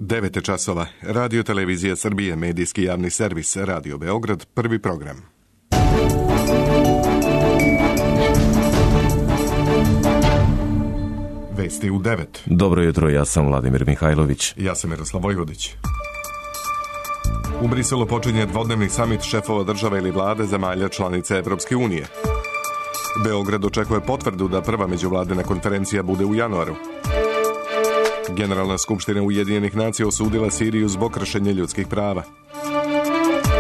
9 je časova. Radio Televizija Srbije, medijski javni servis, Radio Beograd, prvi program. Vesti u 9. Dobro jutro, ja sam Vladimir Mihajlović. Ja sam Miroslav Vojvodić. U Briselu počinje dvodnevni samit šefova država ili vlade zemalja članice Evropske unije. Beograd očekuje potvrdu da prva međuvladina konferencija bude u januaru. Generalna skupština Ujedinjenih nacija osudila Siriju zbog kršenja ljudskih prava.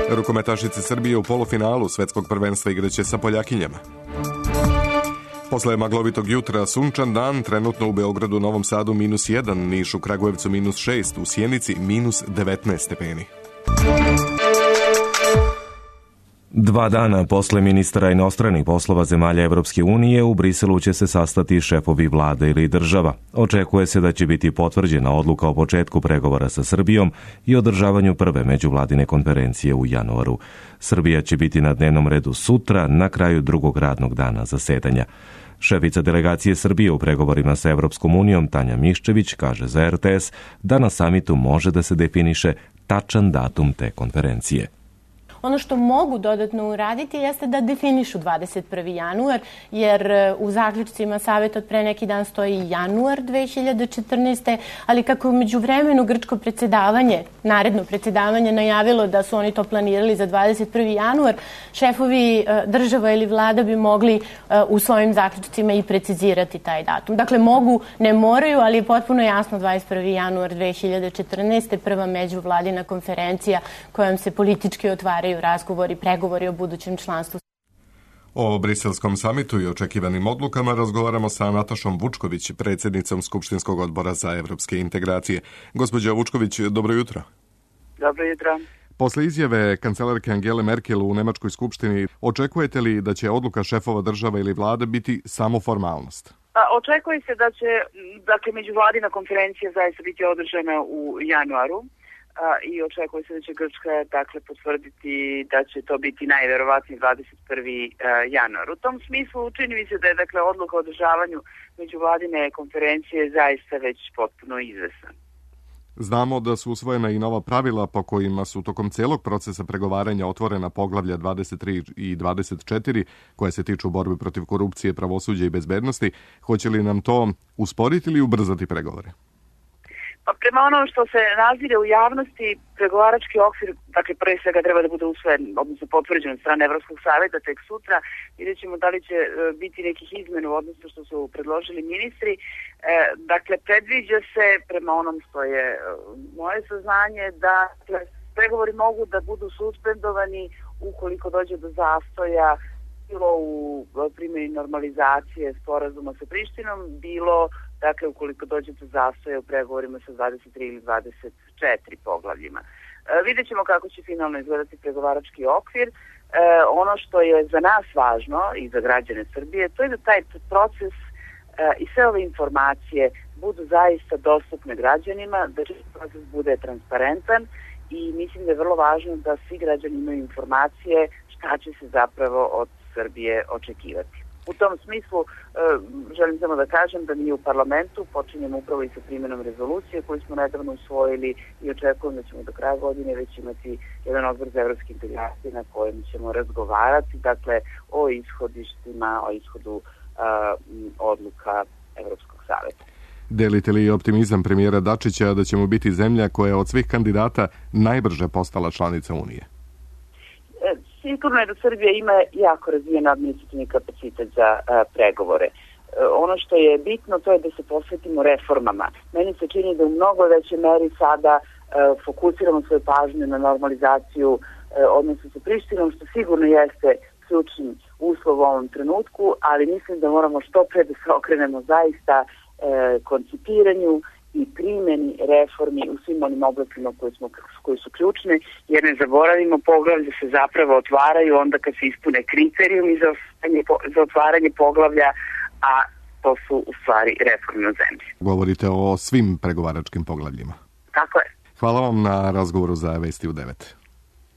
Rukometašice Srbije u polufinalu svetskog prvenstva igraće sa Poljakinjama. Posle maglovitog jutra sunčan dan, trenutno u Beogradu, Novom Sadu -1, Nišu, Kragujevcu -6, u Sjenici -19 stepeni. 2 dana posle ministara inostranih poslova zemalja Evropske unije u Briselu će se sastati šefovi vlade ili država. Očekuje se da će biti potvrđena odluka o početku pregovora sa Srbijom i održavanju prve međuvladine konferencije u januaru. Srbija će biti na dnevnom redu sutra, na kraju drugog radnog dana zasedanja. Šefica delegacije Srbije u pregovorima sa Evropskom unijom, Tanja Miščević, kaže za RTS da na samitu može da se definiše tačan datum te konferencije. Ono što mogu dodatno uraditi jeste da definišu 21. januar, jer u zaključcima saveta od pre neki dan stoji januar 2014. Ali kako u međuvremenu grčko predsjedavanje, naredno predsjedavanje najavilo da su oni to planirali za 21. januar, šefovi država ili vlada bi mogli u svojim zaključcima i precizirati taj datum. Dakle, mogu, ne moraju, ali je potpuno jasno 21. januar 2014. prva međuvladina konferencija kojom se politički otvaraju razgovori, pregovori o budućem članstvu. O briselskom samitu i očekivanim odlukama razgovaramo sa Natašom Vučković, predsjednicom Skupštinskog odbora za evropske integracije. Gospođa Vučković, dobro jutro. Dobro jutro. Posle izjave kancelarke Angele Merkel u Nemačkoj skupštini, očekujete li da će odluka šefova država ili vlade biti samo formalnost? Očekuje se da će, međuvladina konferencija zaista biti održana u januaru. I očekuje se da će Grčka potvrditi da će to biti najverovatnije 21. januar. U tom smislu čini mi se da je odluka o održavanju međuvladine konferencije zaista već potpuno izvesna. Znamo da su usvojena i nova pravila po kojima su tokom celog procesa pregovaranja otvorena poglavlja 23 i 24 koje se tiču borbe protiv korupcije, pravosuđa i bezbednosti. Hoće li nam to usporiti ili ubrzati pregovore? Pa prema ono što se nazire u javnosti, pregovarački okvir, pre svega treba da bude usvojen, odnosno potvrđen od strane Evropskog saveta tek sutra. Vidjet ćemo da li će biti nekih izmena u odnosu što su predložili ministri. Predviđa se, prema onom što je moje saznanje, da pregovori mogu da budu suspendovani ukoliko dođe do zastoja, bilo u primjeni normalizacije sporazuma sa Prištinom, bilo ukoliko dođe do zastoja u pregovorima sa 23 ili 24 poglavljima. Vidjet ćemo kako će finalno izgledati pregovarački okvir. Ono što je za nas važno i za građane Srbije, to je da taj proces i sve ove informacije budu zaista dostupne građanima, da proces bude transparentan i mislim da je vrlo važno da svi građani imaju informacije šta će se zapravo od Srbije očekivati. U tom smislu želim samo da kažem da mi u parlamentu počinjemo upravo i sa primjenom rezolucije koju smo nedavno usvojili i očekujem da ćemo do kraja godine već imati jedan odbor za evropske integracije na kojem ćemo razgovarati o ishodištima, o ishodu odluka Evropskog saveta. Delite li optimizam premijera Dačića da ćemo biti zemlja koja je od svih kandidata najbrže postala članica Unije? Sigurno je da Srbija ima jako razvijen administrativni kapacitet za pregovore. Ono što je bitno to je da se posvetimo reformama. Meni se čini da u mnogo većoj meri sada fokusiramo svoju pažnju na normalizaciju odnosa sa Prištinom, što sigurno jeste ključni uslov u ovom trenutku, ali mislim da moramo što pre da se okrenemo zaista koncipiranju i primjeni reformi u svim onim oblastima koji su ključne, jer ne zaboravimo, poglavlja se zapravo otvaraju onda kad se ispune kriterijumi za otvaranje poglavlja, a to su u stvari reforme u zemlji. Govorite o svim pregovaračkim poglavljima. Tako je. Hvala vam na razgovoru za Vesti u 9.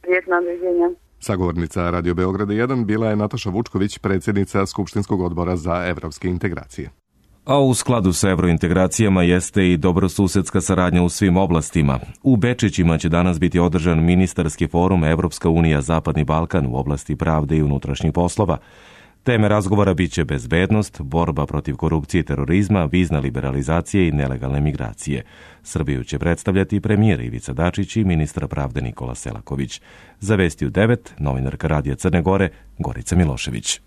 Prijetno, doviđenja. Sagovornica Radio Beograda 1 bila je Nataša Vučković, predsjednica Skupštinskog odbora za evropske integracije. A u skladu sa evrointegracijama jeste i dobrosusedska saradnja u svim oblastima. U Bečićima će danas biti održan ministarski forum Evropska unija Zapadni Balkan u oblasti pravde i unutrašnjih poslova. Teme razgovora biće bezbednost, borba protiv korupcije i terorizma, vizna liberalizacija i nelegalne migracije. Srbiju će predstavljati premijer Ivica Dačić i ministar pravde Nikola Selaković. Za Vesti u 9, novinarka Radija Crne Gore, Gorica Milošević.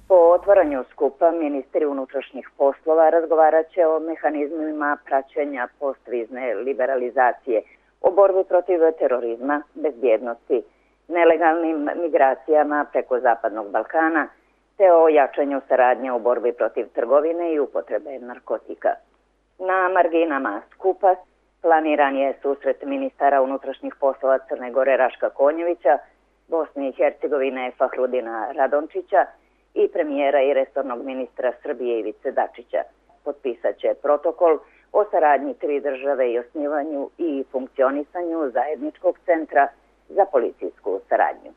Po otvaranju skupa ministri unutrašnjih poslova razgovarat će o mehanizmima praćenja postvizne liberalizacije, o borbi protiv terorizma, bezbjednosti, nelegalnim migracijama preko Zapadnog Balkana, te o jačanju saradnje u borbi protiv trgovine i upotrebe narkotika. Na marginama skupa planiran je susret ministara unutrašnjih poslova Crne Gore Raška Konjevića, Bosne i Hercegovine Fahrudina Radončića i premijera i resornog ministra Srbije Ivice Dačića. Potpisat će protokol o saradnji tri države i osnivanju i funkcionisanju zajedničkog centra za policijsku saradnju.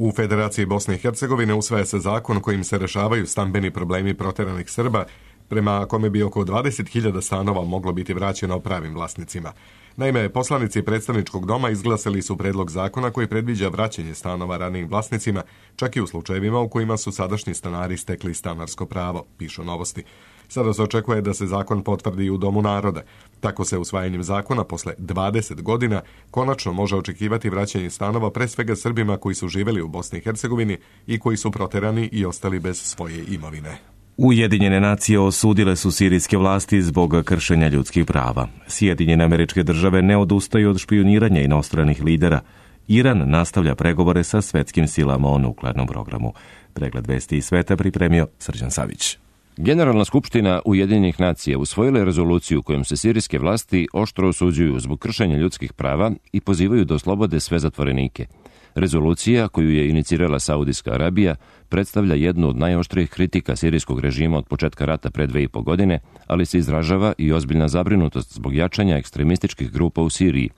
U Federaciji Bosne i Hercegovine usvaja se zakon kojim se rešavaju stambeni problemi proteranih Srba, prema kome bi oko 20.000 stanova moglo biti vraćeno pravim vlasnicima. Naime, poslanici predstavničkog doma izglasali su predlog zakona koji predviđa vraćanje stanova ranijim vlasnicima, čak i u slučajevima u kojima su sadašnji stanari stekli stanarsko pravo, pišu Novosti. Sada se očekuje da se zakon potvrdi i u Domu naroda. Tako se usvajanjem zakona posle 20 godina konačno može očekivati vraćanje stanova pre svega Srbima koji su živeli u Bosni i Hercegovini i koji su proterani i ostali bez svoje imovine. Ujedinjene nacije osudile su sirijske vlasti zbog kršenja ljudskih prava. Sjedinjene Američke Države ne odustaju od špijuniranja inostranih lidera. Iran nastavlja pregovore sa svetskim silama o nuklearnom programu. Pregled vesti iz sveta pripremio Srđan Savić. Generalna skupština Ujedinjenih nacija usvojila je rezoluciju kojom se sirijske vlasti oštro osuđuju zbog kršenja ljudskih prava i pozivaju da oslobode sve zatvorenike. Rezolucija, koju je inicirala Saudijska Arabija, predstavlja jednu od najoštrijih kritika sirijskog režima od početka rata pre 2,5 godine, ali se izražava i ozbiljna zabrinutost zbog jačanja ekstremističkih grupa u Siriji.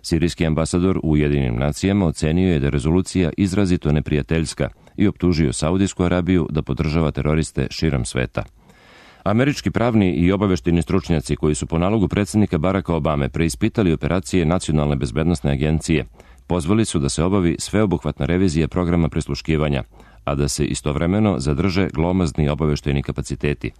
Sirijski ambasador u Ujedinjenim nacijama ocenio je da je rezolucija izrazito neprijateljska i optužio Saudijsku Arabiju da podržava teroriste širom sveta. Američki pravni i obavešteni stručnjaci koji su po nalogu predsjednika Baracka Obame preispitali operacije Nacionalne bezbednosne agencije, pozvali su da se obavi sveobuhvatna revizija programa prisluškivanja, a da se istovremeno zadrže glomazni obavešteni kapaciteti.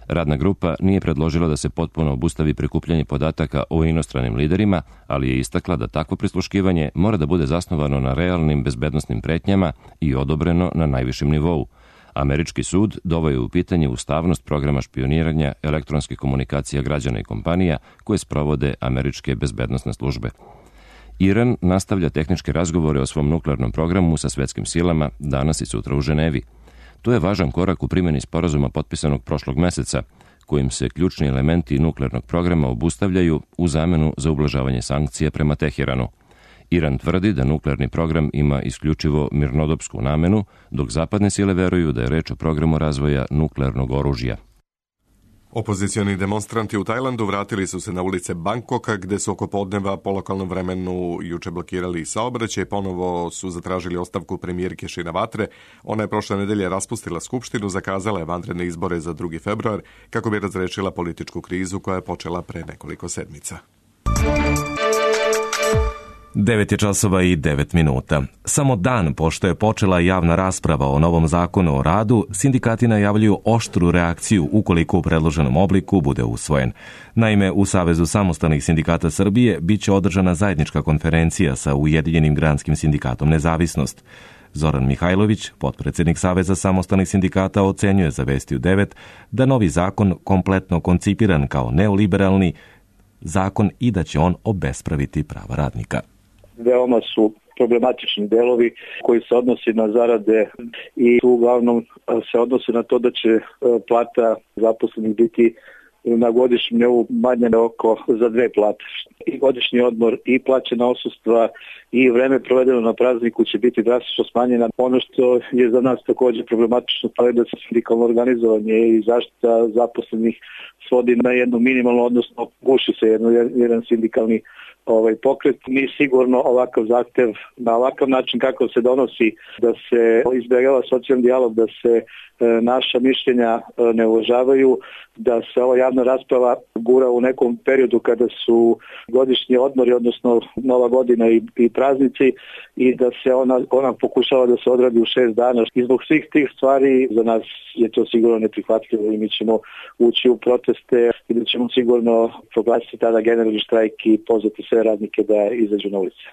Radna grupa nije predložila da se potpuno obustavi prikupljanje podataka o inostranim liderima, ali je istakla da takvo prisluškivanje mora da bude zasnovano na realnim bezbednosnim pretnjama i odobreno na najvišem nivou. Američki sud doveo je u pitanje ustavnost programa špioniranja elektronskih komunikacija građana i kompanija koje sprovode američke bezbednosne službe. Iran nastavlja tehničke razgovore o svom nuklearnom programu sa svetskim silama danas i sutra u Ženevi. To je važan korak u primjeni sporazuma potpisanog prošlog meseca, kojim se ključni elementi nuklearnog programa obustavljaju u zamenu za ublažavanje sankcija prema Teheranu. Iran tvrdi da nuklearni program ima isključivo mirnodopsku namenu, dok zapadne sile veruju da je reč o programu razvoja nuklearnog oružja. Opozicioni demonstranti u Tajlandu vratili su se na ulice Bangkoka, gde su oko podneva po lokalnom vremenu juče blokirali saobraćaj. Ponovo su zatražili ostavku premijerke Shinawatre. Ona je prošle nedelje raspustila skupštinu, zakazala je vanredne izbore za 2. februar kako bi razrešila političku krizu koja je počela pre nekoliko sedmica. 9 je časova i 9 minuta. Samo dan pošto je počela javna rasprava o novom zakonu o radu, sindikati najavljuju oštru reakciju ukoliko u predloženom obliku bude usvojen. Naime, u Savezu samostalnih sindikata Srbije biće održana zajednička konferencija sa Ujedinjenim granskim sindikatom Nezavisnost. Zoran Mihajlović, potpredsjednik Saveza samostalnih sindikata, ocenjuje za Vesti u 9 da novi zakon kompletno koncipiran kao neoliberalni zakon i da će on obespraviti prava radnika. Veoma su problematični delovi koji se odnosi na zarade i uglavnom se odnosi na to da će plata zaposlenih biti na godišnjem nivou manje oko za 2 plate. i godišnji odmor i plaćena odsustva i vreme provedeno na prazniku će biti drastično smanjena. Ono što je za nas također problematično, to je da se sindikalno organizovanje i zaštita zaposlenih svodi na jednu minimalnu, odnosno guši se jedan sindikalni pokret. Mi sigurno ovakav zahtev na ovakav način kako se donosi, da se izbjegava socijalni dijalog, da se naša mišljenja ne uvažavaju, da se ova javna rasprava gura u nekom periodu kada su godišnji odmori, odnosno Nova godina i praznici, i da se ona pokušava da se odradi u 6 dana. I zbog svih tih stvari za nas je to sigurno neprihvatljivo i mi ćemo ući u proteste i da ćemo sigurno proglasiti tada generalni štrajk i pozvati sve radnike da izađu na ulice.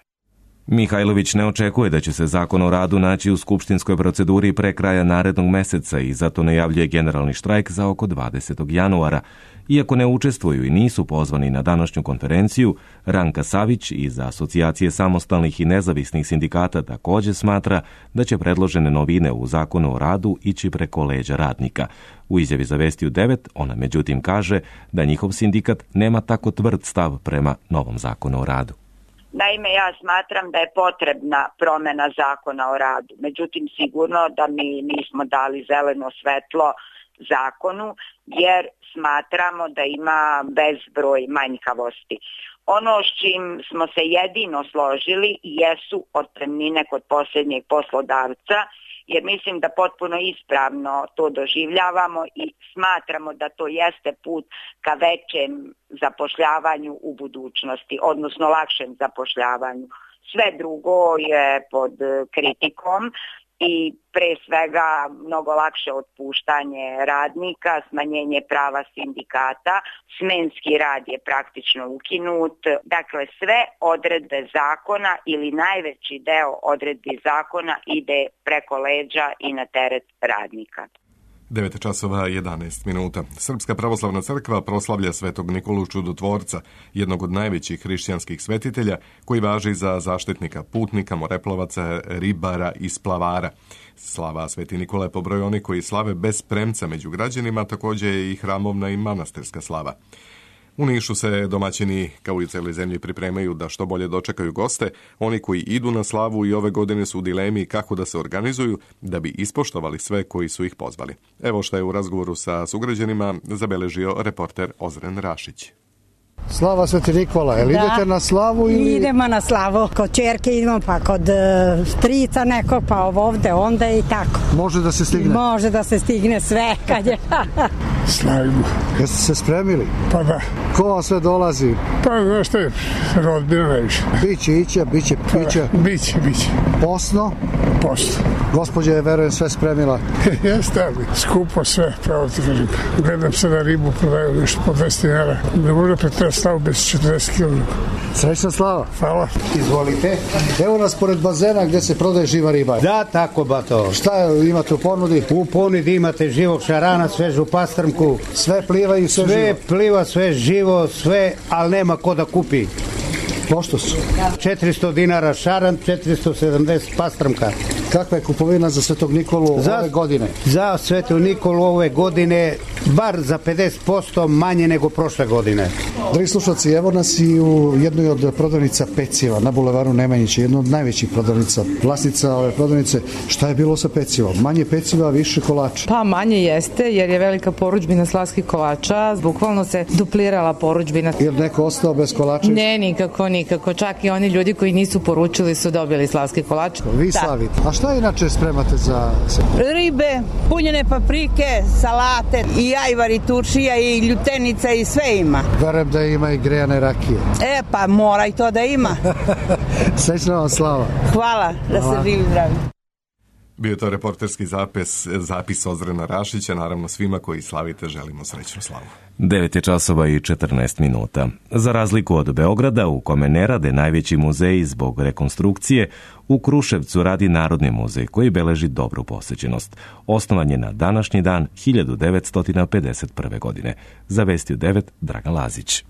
Mihajlović ne očekuje da će se Zakon o radu naći u skupštinskoj proceduri pre kraja narednog meseca i zato najavljuje generalni štrajk za oko 20. januara. Iako ne učestvuju i nisu pozvani na današnju konferenciju, Ranka Savić iz Asocijacije samostalnih i nezavisnih sindikata također smatra da će predložene novine u Zakonu o radu ići preko leđa radnika. U izjavi za Vestiju 9 ona međutim kaže da njihov sindikat nema tako tvrd stav prema novom Zakonu o radu. Naime, ja smatram da je potrebna promjena Zakona o radu. Međutim, sigurno da mi nismo dali zeleno svetlo zakonu jer smatramo da ima bezbroj manjkavosti. Ono s čim smo se jedino složili jesu otpremnine kod posljednjeg poslodavca, jer mislim da potpuno ispravno to doživljavamo i smatramo da to jeste put ka većem zapošljavanju u budućnosti, odnosno lakšem zapošljavanju. Sve drugo je pod kritikom i pre svega mnogo lakše otpuštanje radnika, smanjenje prava sindikata, smenski rad je praktično ukinut. Dakle, sve odredbe zakona ili najveći deo odredbi zakona ide preko leđa i na teret radnika. 9 časova 11 minuta. Srpska pravoslavna crkva proslavlja Svetog Nikolu Čudotvorca, jednog od najvećih hrišćanskih svetitelja koji važi za zaštitnika putnika, moreplovaca, ribara i splavara. Slava Sveti Nikole po broju oni koji slave bez premca među građanima, također je i hramovna i manastirska slava. U Nišu se domaćini, kao i u cijeloj zemlji, pripremaju da što bolje dočekaju goste. Oni koji idu na slavu i ove godine su u dilemi kako da se organizuju da bi ispoštovali sve koji su ih pozvali. Evo što je u razgovoru sa sugrađanima zabeležio reporter Ozren Rašić. Slava Sveti Nikola, jel idete na slavu ili? Idemo na slavu, kod čerke idemo, pa kod strica nekog, pa ovdje, onda i tako. Može da se stigne? Može da se stigne sve kad je. Slavimo. Jeste se spremili? Pa da. Ko vam sve dolazi? Pa znaš što je, rodbina najviše. Biće. Biće. Posno? Posno. Gospođa je, verujem, sve spremila. Jeste, ali skupo sve, pravo ti kažem. Gledam se na ribu, prodaju nešto po 200 dinara. Ne može pretrati slavu bez 40 kg. Srećna slava. Hvala. Izvolite. Evo nas pored bazena gdje se prodaje živa riba. Da, tako bato. Šta imate u ponudi? U ponudi imate živog šarana, svežu pastrmku. Sve pliva i sve živo? Sve pliva, sve živo, sve, ali nema ko da kupi. Pošto su? 400 dinara šaran, 470 pastrmka. Kakva je kupovina za Svetog Nikolu ove godine? Za Svetog Nikolu ove godine bar za 50% manje nego prošle godine. Dragi slušalci, evo nas i u jednoj od prodavnica peciva na bulevaru Nemanjića, jedna od najvećih prodavnica, vlasnica ove prodavnice. Šta je bilo sa pecivom? Manje peciva, više kolača? Pa manje jeste, jer je velika poručbina slavskih kolača, bukvalno se duplirala poručbina. Je li neko ostao bez kolača? Ne, nikako, čak i oni ljudi koji nisu poručili su dobili slavski kolač. Vi slavite. A šta inače spremate za ribe, punjene paprike, salate, i ajvar, i turšija, i ljutenica, i sve ima. Verujem da ima i grejane rakije. Pa mora i to da ima. Srećna vam slava. Hvala, da se živi zdravi. Bio je to reporterski zapis Ozrena Rašića. Naravno, svima koji slavite želimo srećnu slavu. 9 časova i 14 minuta. Za razliku od Beograda, u kome ne rade najveći muzeji zbog rekonstrukcije, u Kruševcu radi Narodni muzej koji beleži dobru posećenost. Osnovan je na današnji dan 1951. godine. Za Vestiju 9, Dragan Lazić.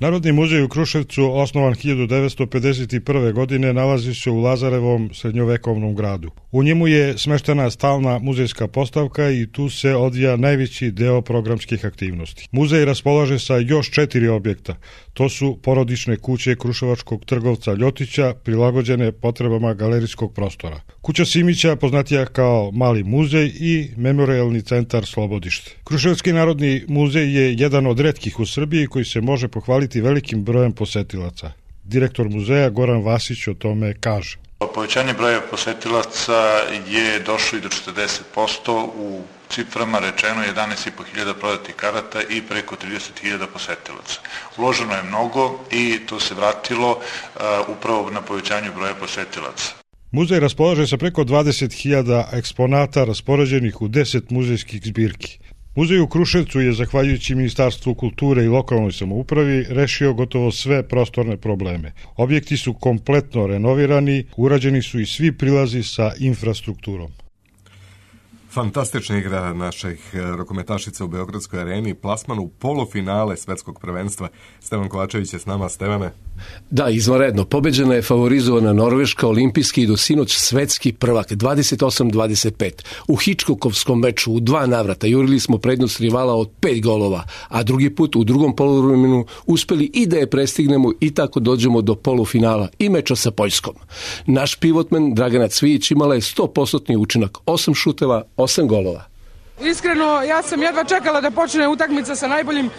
Narodni muzej u Kruševcu, osnovan 1951. godine, nalazi se u Lazarevom srednjovekovnom gradu. U njemu je smeštena stalna muzejska postavka i tu se odvija najveći deo programskih aktivnosti. Muzej raspolaže sa još 4 objekta. To su porodične kuće kruševačkog trgovca Ljotića, prilagođene potrebama galerijskog prostora. Kuća Simića, poznatija kao Mali muzej, i Memorijalni centar Slobodište. Kruševski narodni muzej je jedan od retkih u Srbiji koji se može pohvaliti velikim brojem posetilaca. Direktor muzeja Goran Vasić o tome kaže. Povećanje broja posetilaca je došlo i do 40%, u ciframa rečeno 11.500 prodatih karata i preko 30.000 posetilaca. Uloženo je mnogo i to se vratilo upravo na povećanju broja posetilaca. Muzej raspolaže sa preko 20.000 eksponata raspoređenih u 10 muzejskih zbirki. Muzej u Kruševcu je, zahvaljujući Ministarstvu kulture i lokalnoj samoupravi, rešio gotovo sve prostorne probleme. Objekti su kompletno renovirani, urađeni su i svi prilazi sa infrastrukturom. Fantastična igra naših rukometašica u Beogradskoj areni, plasman u polufinale svetskog prvenstva. Stevan Kovačević je s nama. Stevane. Da, izvanredno. Pobeđena je favorizovana Norveška, olimpijski i do sinoć svetski prvak, 28-25. U Hičkokovskom meču u 2 navrata jurili smo prednost rivala od 5 golova, a drugi put u drugom poluvremenu uspeli i da je prestignemo i tako dođemo do polufinala i meča sa Poljskom. Naš pivotmen Dragana Cvijić imala je 100% učinak, 8 šuteva, 8 golova. Iskreno, ja sam jedva čekala da počne utakmica sa najboljim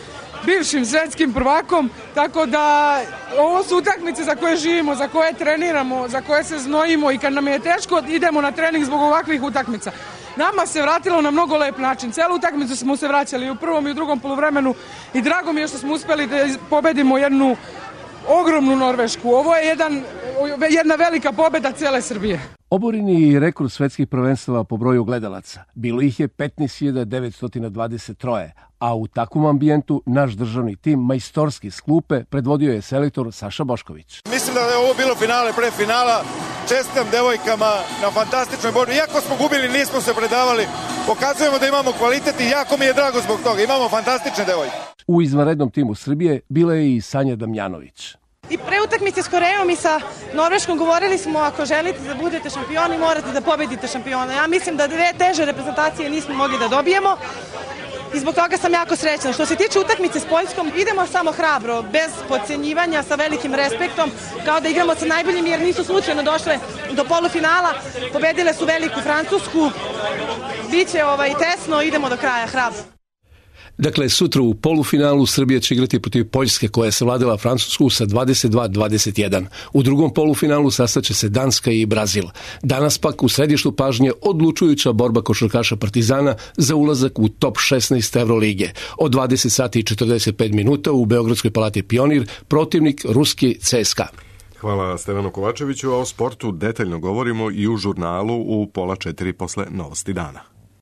bivšim svetskim prvakom, tako da ovo su utakmice za koje živimo, za koje treniramo, za koje se znojimo i kad nam je teško idemo na trening zbog ovakvih utakmica. Nama se vratilo na mnogo lep način. Celu utakmicu smo se vraćali u prvom i u drugom poluvremenu i drago mi je što smo uspeli da pobedimo jednu ogromnu Norvešku. Ovo je jedna velika pobeda cele Srbije. Oboreni rekord svetskih prvenstava po broju gledalaca. Bilo ih je 15.923, a u takvom ambijentu naš državni tim majstorski s klupe predvodio je selektor Saša Bošković. Mislim da je ovo bilo finale pre finala. Čestitam devojkama na fantastičnoj borbi. Iako smo gubili, nismo se predavali. Pokazujemo da imamo kvalitet i jako mi je drago zbog toga. Imamo fantastične devojke. U izvanrednom timu Srbije bila je i Sanja Damjanović. I pre utakmice s Korejom i sa Norveškom govorili smo, ako želite da budete šampioni, morate da pobedite šampiona. Ja mislim da 2 teže reprezentacije nismo mogli da dobijemo i zbog toga sam jako srećna. Što se tiče utakmice s Poljskom, idemo samo hrabro, bez podcenjivanja, sa velikim respektom, kao da igramo sa najboljim, jer nisu slučajno došle do polufinala. Pobedile su veliku Francusku, biće tesno, idemo do kraja hrabro. Dakle, sutra u polufinalu Srbija će igrati protiv Poljske, koja je savladala Francusku sa 22-21. U drugom polufinalu sastaće se Danska i Brazil. Danas pak u središtu pažnje odlučujuća borba košarkaša Partizana za ulazak u top 16 Evrolige. Od 20:45 u Beogradskoj palati Pionir, protivnik ruski CSKA. Hvala Stevanu Kovačeviću, a o sportu detaljno govorimo i u žurnalu u 3:30 posle Novosti dana.